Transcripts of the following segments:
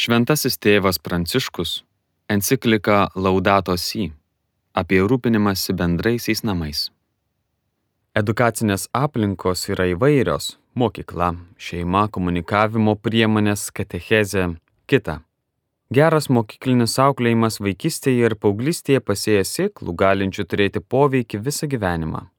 Šventasis tėvas Pranciškus enciklika Laudato Si apie rūpinimąsi bendraisiais namais. Edukacinės aplinkos yra įvairios – mokykla, šeima, komunikavimo priemonės, katechezė, kita. Geras mokyklinis auklėjimas vaikystėje ir paauglystėje pasėja sėklų, galinčių turėti poveikį visą gyvenimą.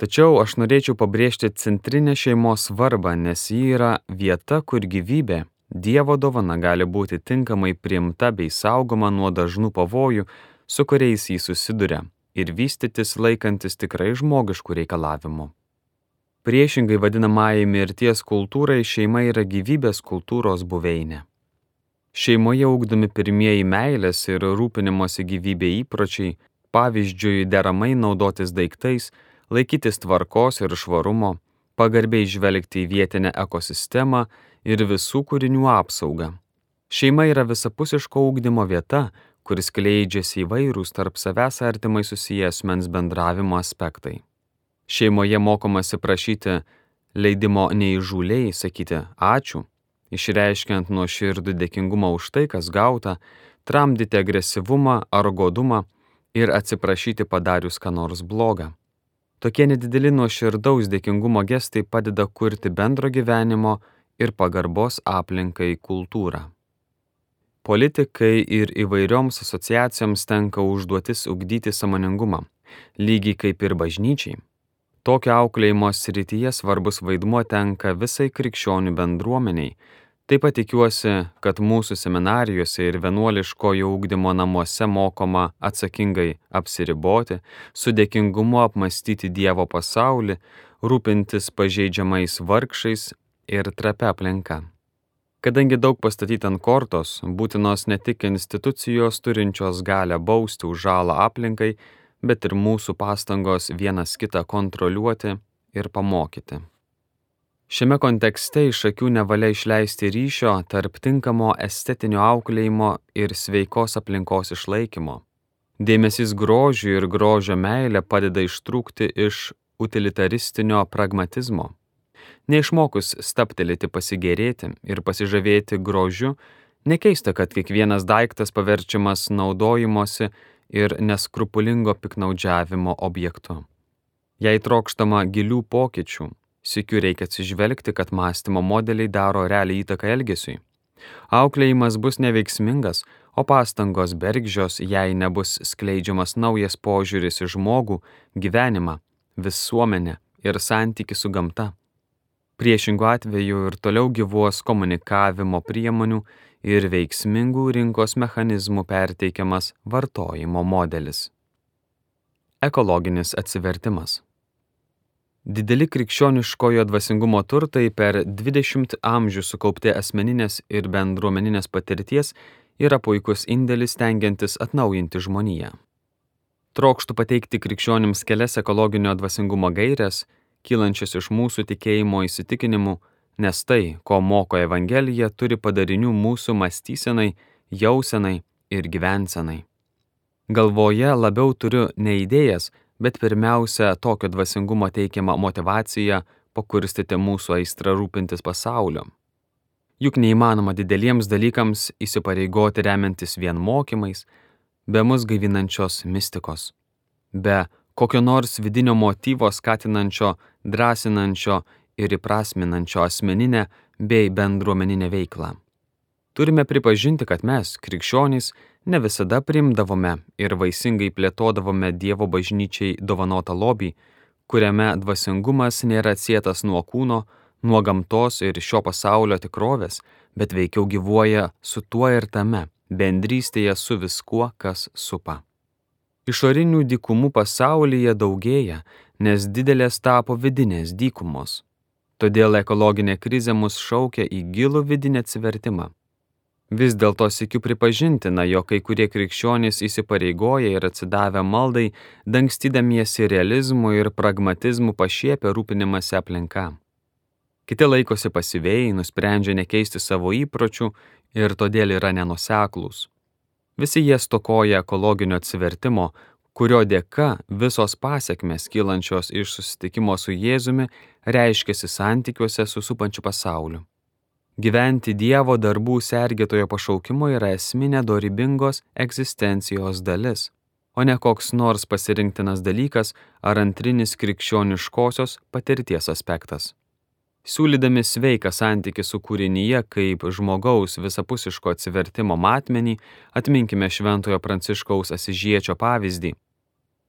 Tačiau aš norėčiau pabrėžti centrinę šeimos svarbą, nes ji yra vieta, kur gyvybė, Dievo dovana gali būti tinkamai priimta bei saugoma nuo dažnų pavojų, su kuriais jį susiduria, ir vystytis laikantis tikrai žmogiškų reikalavimų. Priešingai vadinamajai mirties kultūrai šeima yra gyvybės kultūros buveinė. Šeimoje ugdomi pirmieji meilės ir rūpinimosi gyvybė įpročiai, pavyzdžiui, deramai naudotis daiktais, laikytis tvarkos ir švarumo, pagarbiai žvelgti į vietinę ekosistemą ir visų kūrinių apsaugą. Šeima yra visapusiško ugdymo vieta, kuris skleidžiasi įvairūs tarp savęs artimai susiję asmens bendravimo aspektai. Šeimoje mokomasi prašyti leidimo neįžūliai, sakyti ačiū, išreiškiant nuoširdų dėkingumą už tai, kas gauta, tramdyti agresyvumą ar godumą ir atsiprašyti padarius ką nors blogą. Tokie nedideli nuoširdaus dėkingumo gestai padeda kurti bendro gyvenimo ir pagarbos aplinkai kultūrą. Politikai ir įvairioms asociacijoms tenka užduotis ugdyti sąmoningumą, lygiai kaip ir bažnyčiai. Tokio auklėjimo srityje svarbus vaidmuo tenka visai krikščionių bendruomeniai. Taip pat tikiuosi, kad mūsų seminarijose ir vienuoliškojo ugdymo namuose mokoma atsakingai apsiriboti, su dėkingumu apmąstyti Dievo pasaulį, rūpintis pažeidžiamais vargšais ir trapia aplinka. Kadangi daug pastatyta ant kortos, būtinos ne tik institucijos turinčios galią bausti už žalą aplinkai, bet ir mūsų pastangos vienas kitą kontroliuoti ir pamokyti. Šiame kontekste iš akių nevalia išleisti ryšio tarp tinkamo estetinio auklėjimo ir sveikos aplinkos išlaikymo. Dėmesys grožiui ir grožio meilė padeda ištrūkti iš utilitaristinio pragmatizmo. Neišmokus stabtelėti pasigėrėti ir pasižavėti grožiu, nekeista, kad kiekvienas daiktas paverčiamas naudojimosi ir neskrupulingo piknaudžiavimo objektu. Jei trokštama gilių pokyčių, sykiu reikia atsižvelgti, kad mąstymo modeliai daro realią įtaką elgesiui. Auklėjimas bus neveiksmingas, o pastangos bergždžios, jei nebus skleidžiamas naujas požiūris į žmogų, gyvenimą, visuomenę ir santykį su gamta. Priešingų atveju ir toliau gyvuos komunikavimo priemonių ir veiksmingų rinkos mechanizmų perteikiamas vartojimo modelis. Ekologinis atsivertimas. Dideli krikščioniškojo dvasingumo turtai per 20 amžių sukaupti asmeninės ir bendruomeninės patirties yra puikus indėlis stengiantis atnaujinti žmoniją. Trokštu pateikti krikščionims kelias ekologinio dvasingumo gaires, kylančias iš mūsų tikėjimo įsitikinimų, nes tai, ko moko Evangelija, turi padarinių mūsų mąstysenai, jausenai ir gyvensenai. Galvoje labiau turiu ne idėjas, bet pirmiausia tokio dvasingumo teikiama motyvacija pakurstyti mūsų aistrą rūpintis pasauliu. Juk neįmanoma dideliems dalykams įsipareigoti remiantis vien mokymais, be mus gaivinančios mistikos, be kokio nors vidinio motyvo skatinančio, drąsinančio ir įprasminančio asmeninę bei bendruomeninę veiklą. Turime pripažinti, kad mes, krikščionys, ne visada priimdavome ir vaisingai plėtodavome Dievo bažnyčiai dovanotą lobį, kuriame dvasingumas nėra atsietas nuo kūno, nuo gamtos ir šio pasaulio tikrovės, bet veikiau gyvuoja su tuo ir tame, bendrystėje su viskuo, kas supa. Išorinių dykumų pasaulyje daugėja, nes didelės tapo vidinės dykumos. Todėl ekologinė krizė mus šaukia į gilų vidinį atsivertimą. Vis dėlto sykiu pripažintina, jog kai kurie krikščionys įsipareigoja ir atsidavę maldai, dangstydamiesi realizmu ir pragmatizmu pašiepia rūpinimąsi aplinka. Kiti laikosi pasyviai, nusprendžia nekeisti savo įpročių ir todėl yra nenuoseklūs. Visi jie stokoja ekologinio atsivertimo, kurio dėka visos pasekmės kylančios iš susitikimo su Jėzumi reiškiasi santykiuose su supančiu pasauliu. Gyventi Dievo darbų sergėtojo pašaukimo yra esminė dorybingos egzistencijos dalis, o ne koks nors pasirinktinas dalykas ar antrinis krikščioniškosios patirties aspektas. Siūlydami sveiką santykį su kūrinyje kaip žmogaus visapusiško atsivertimo matmenį, atminkime Šventojo Pranciškaus Asyžiečio pavyzdį.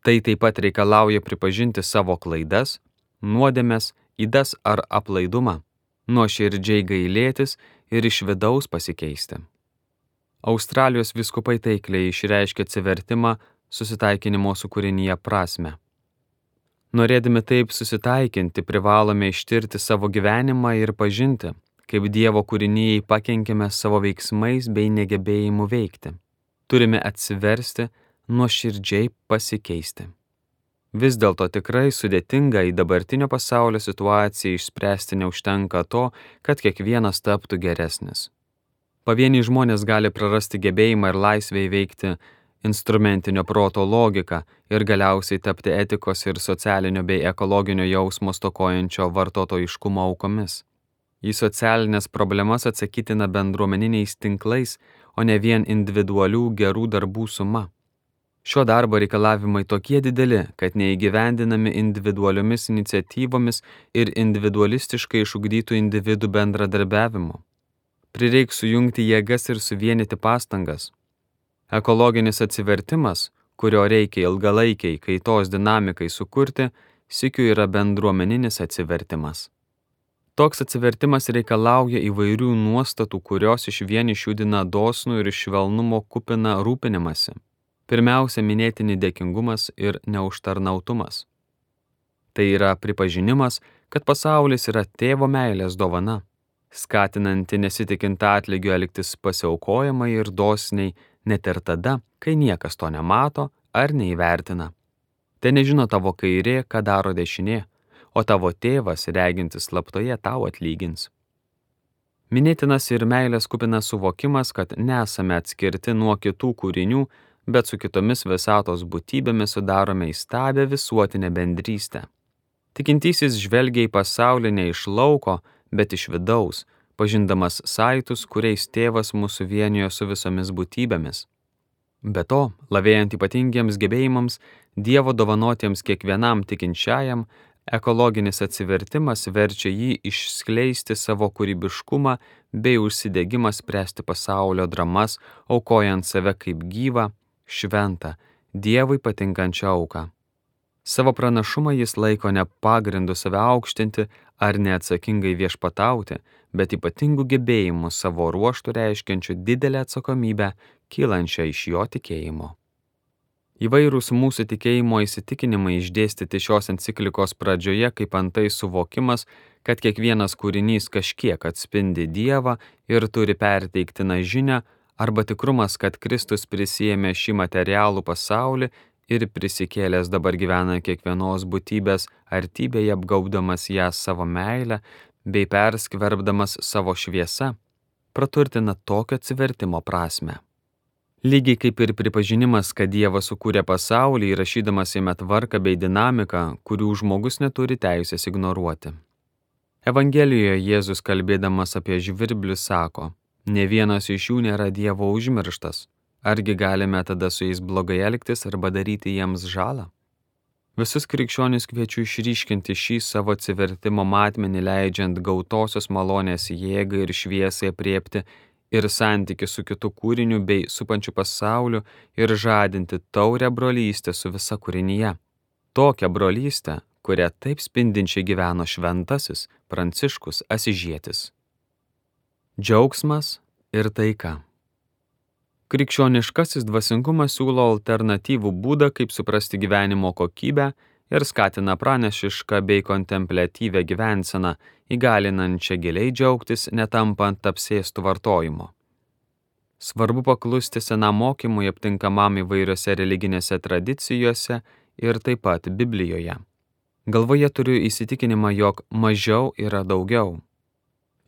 Tai taip pat reikalauja pripažinti savo klaidas, nuodėmes, ydas ar aplaidumą, nuoširdžiai gailėtis ir iš vidaus pasikeisti. Australijos vyskupai taikliai išreiškė atsivertimą susitaikinimo su kūrinyje prasmę. Norėdami taip susitaikinti, privalome ištirti savo gyvenimą ir pažinti, kaip Dievo kūrinijai pakenkėme savo veiksmais bei negebėjimu veikti. Turime atsiversti, nuoširdžiai pasikeisti. Vis dėlto tikrai sudėtinga į dabartinio pasaulio situaciją išspręsti neužtenka to, kad kiekvienas taptų geresnis. Pavieniai žmonės gali prarasti gebėjimą ir laisvę įveikti instrumentinio proto logiką ir galiausiai tapti etikos ir socialinio bei ekologinio jausmo stokojančio vartotojiškumo aukomis. Į socialinės problemas atsakytina bendruomeniniais tinklais, o ne vien individualių gerų darbų suma. Šio darbo reikalavimai tokie dideli, kad neįgyvendinami individualiomis iniciatyvomis ir individualistiškai išugdytų individų bendradarbiavimu. Prireiks sujungti jėgas ir suvienyti pastangas. Ekologinis atsivertimas, kurio reikia ilgalaikiai kaitos dinamikai sukurti, sykiu yra bendruomeninis atsivertimas. Toks atsivertimas reikalauja įvairių nuostatų, kurios išvien išjudina dosnų ir švelnumo kupiną rūpinimąsi. Pirmiausia, minėtini dėkingumas ir neužtarnautumas. Tai yra pripažinimas, kad pasaulis yra tėvo meilės dovana, skatinanti nesitikint atlygio elgtis pasiaukojamai ir dosniai, net ir tada, kai niekas to nemato ar neįvertina. Tai nežino tavo kairė, ką daro dešinė, o tavo tėvas, regintis slaptoje, tau atlygins. Minėtinas ir meilės kupinas suvokimas, kad nesame atskirti nuo kitų kūrinių, bet su kitomis visatos būtybėmis sudarome įstabią visuotinę bendrystę. Tikintysis žvelgia į pasaulį ne iš lauko, bet iš vidaus, pažindamas saitus, kuriais tėvas mūsų vienijo su visomis būtybėmis. Be to, lavėjant ypatingiems gebėjimams, Dievo dovanotiems kiekvienam tikinčiajam, ekologinis atsivertimas verčia jį išskleisti savo kūrybiškumą bei užsidegimą spręsti pasaulio dramas, aukojant save kaip gyvą, šventą, Dievui patinkančią auką. Savo pranašumą jis laiko ne pagrindu save aukštinti ar neatsakingai viešpatauti, bet ypatingų gebėjimų savo ruožtų reiškiančių didelę atsakomybę, kylančią iš jo tikėjimo. Įvairūs mūsų tikėjimo įsitikinimai išdėstyti šios enciklikos pradžioje, kaip antai suvokimas, kad kiekvienas kūrinys kažkiek atspindi Dievą ir turi perteiktiną žinią, arba tikrumas, kad Kristus prisiėmė šį materialų pasaulį ir prisikėlęs dabar gyvena kiekvienos būtybės artybėje, apgaubdamas ją savo meilę bei perskverbdamas savo šviesą, praturtina tokio atsivertimo prasmę. Lygiai kaip ir pripažinimas, kad Dievas sukūrė pasaulį, įrašydamas jame tvarką bei dinamiką, kurių žmogus neturi teisės ignoruoti. Evangelijoje Jėzus, kalbėdamas apie žvirblius, sako: "Ne vienas iš jų nėra Dievo užmirštas. Argi galime tada su jais blogai elgtis arba daryti jiems žalą?" Visus krikščionis kviečiu išryškinti šį savo atsivertimo matmenį, leidžiant gautosios malonės jėgai ir šviesai apriepti ir santykių su kitu kūriniu bei supančiu pasauliu ir žadinti taurią brolystę su visa kūrinyje. Tokią brolystę, kurią taip spindinčiai gyveno šventasis Pranciškus Asyžietis. Džiaugsmas ir taika. Krikščioniškasis dvasingumas siūlo alternatyvų būdą, kaip suprasti gyvenimo kokybę ir skatina pranešišką bei kontempliatyvę gyvenseną, įgalinančią giliai džiaugtis, netampant apsėstų vartojimo. Svarbu paklusti senam mokymui aptinkamam įvairiose religinėse tradicijose ir taip pat Biblijoje. Galvoje turiu įsitikinimą, jog mažiau yra daugiau.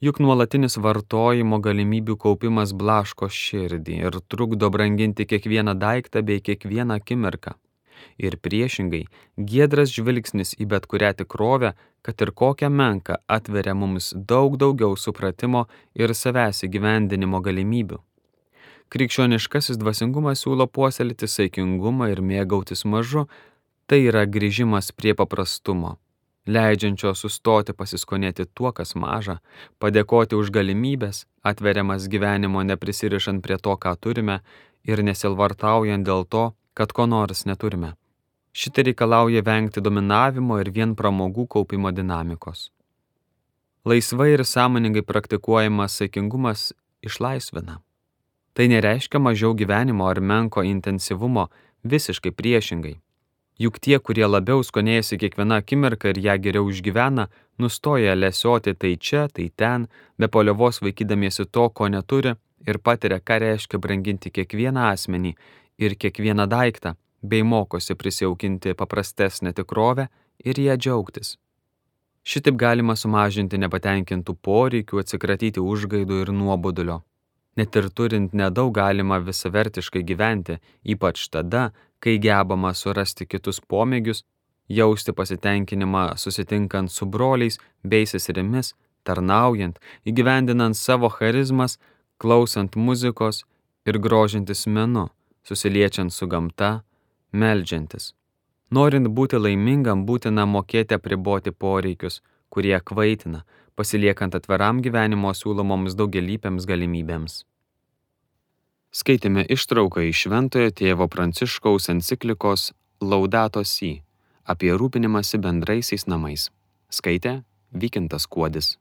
Juk nuolatinis vartojimo galimybių kaupimas blaško širdį ir trukdo branginti kiekvieną daiktą bei kiekvieną akimirką. Ir priešingai, giedras žvilgsnis į bet kurią tikrovę, kad ir kokią menką, atveria mums daug daugiau supratimo ir savęs įgyvendinimo galimybių. Krikščioniškasis dvasingumas siūlo puoselėti saikingumą ir mėgautis mažu, tai yra grįžimas prie paprastumo, leidžiančio sustoti pasiskonėti tuo, kas maža, padėkoti už galimybės, atveriamas gyvenimo neprisirišant prie to, ką turime ir nesilvartaujant dėl to, kad ko nors neturime. Šitai reikalauja vengti dominavimo ir vien pramogų kaupimo dinamikos. Laisvai ir sąmoningai praktikuojamas saikingumas išlaisvina. Tai nereiškia mažiau gyvenimo ar menko intensyvumo, visiškai priešingai. Juk tie, kurie labiau skonėjasi kiekvieną akimirką ir ją geriau išgyvena, nustoja lesioti tai čia, tai ten, be paliovos vaikydamiesi to, ko neturi ir patiria, ką reiškia branginti kiekvieną asmenį ir kiekvieną daiktą, bei mokosi prisijaukinti paprastesnę tikrovę ir ją džiaugtis. Šitaip galima sumažinti nepatenkintų poreikių, atsikratyti užgaidų ir nuobodulio. Net ir turint nedaug galima visavertiškai gyventi, ypač tada, kai gebama surasti kitus pomėgius, jausti pasitenkinimą susitinkant su broliais bei seserimis, tarnaujant, įgyvendinant savo charizmas, klausant muzikos ir grožintis menu, susiliečiant su gamta, meldžiantis. Norint būti laimingam, būtina mokėti apriboti poreikius, kurie kvaitina, pasiliekant atviram gyvenimo siūlomoms daugialypėms galimybėms. Skaitėme ištrauką iš Šventojo tėvo Pranciškaus enciklikos Laudato Si apie rūpinimąsi bendraisiais namais. Skaitė Vykintas Kuodis.